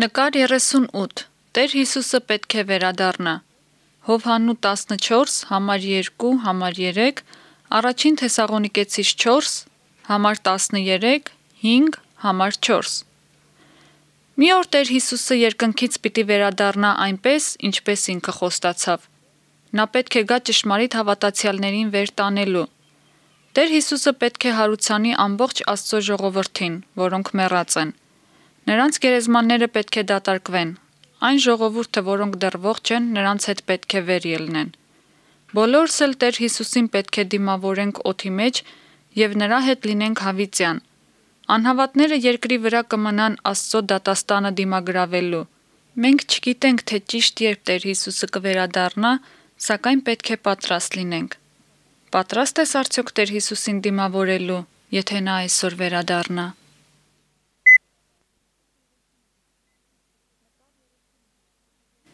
Նկար 38. Տեր Հիսուսը պետք է վերադառնա։ Հովհաննու 14, համար 2, համար 3, առաջին Թեսաղոնիկեցիս 4, համար 13, 5, համար 4։ Մի օր Տեր Հիսուսը երկնքից պիտի վերադառնա այնպես, ինչպես ինքը խոստացավ։ Նա պետք է գա ճշմարիտ հավատացյալներին վեր տանելու։ Տեր Հիսուսը պետք է հարուցանի ամբողջ Աստծո ժողովրդին, որոնք մեռած են։ Նրանց գերեզմանները պետք է դատարկվեն։ Այն ժողովուրդը, որոնք դեռ ողջ են, նրանց հետ պետք է վեր ելնեն։ Բոլորս էլ Տեր Հիսուսին պետք է դիմավորենք օդի մեջ եւ նրա հետ լինենք հավիտյան։ Անհավատները երկրի վրա կմնան Աստծո դատաստանը դիմագրավելու։ Մենք չգիտենք, թե ճիշտ երբ Տեր Հիսուսը կվերադառնա, սակայն պետք է պատրաստ լինենք։ Պատրաստ ես արդյոք Տեր Հիսուսին դիմավորելու, եթե նա այսօր վերադառնա։